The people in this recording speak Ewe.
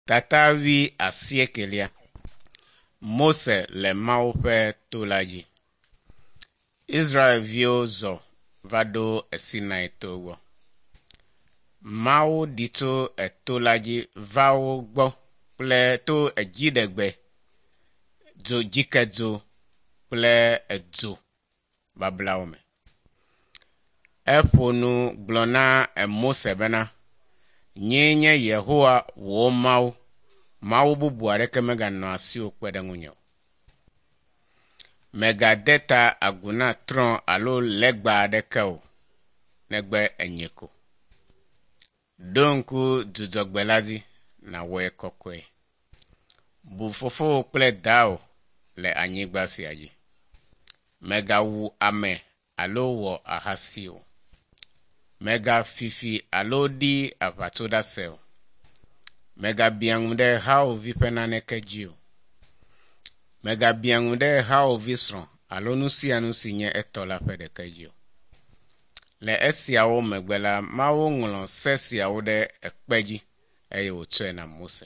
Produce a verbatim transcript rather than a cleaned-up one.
Tata wui asiekelia. Mose le Mawu ƒe to la dzi. Israelviwo zɔ va ɖo Sinai to gbɔ. Mawu ɖi tso eto la dzi va wo gbɔ kple to edziɖegbe, dzo dzikedzo kple edzo bablawo me. Eƒo nu gblɔ na Mose bena, nyee nye Yehowa wò Mawu. Mawu bubu aɖeke meganɔ asiwò kpe ɖe ŋunye o. Mègade ta agu na trɔ̃ alo legba aɖeke o, negbe enye ko. Ɖo ŋku dzudzɔgbe la dzi nàwɔe kɔkɔe. Bu fofowò kple dawò le anyigba sia dzi. Mègawu ame alo wɔ ahasi o. Mègafi fi alo ɖi aʋatsoɖase o. Mègabiã ŋu ɖe hawòvi ƒe naneke dzi o. Mègabiã ŋu ɖe hawòvi srɔ̃ alo nu sia nu si nye etɔ la ƒe ɖeke dzi o. Le esiawo megbe la, Mawu ŋlɔ se siawo ɖe ekpe dzi eye wòtsɔe na Mose.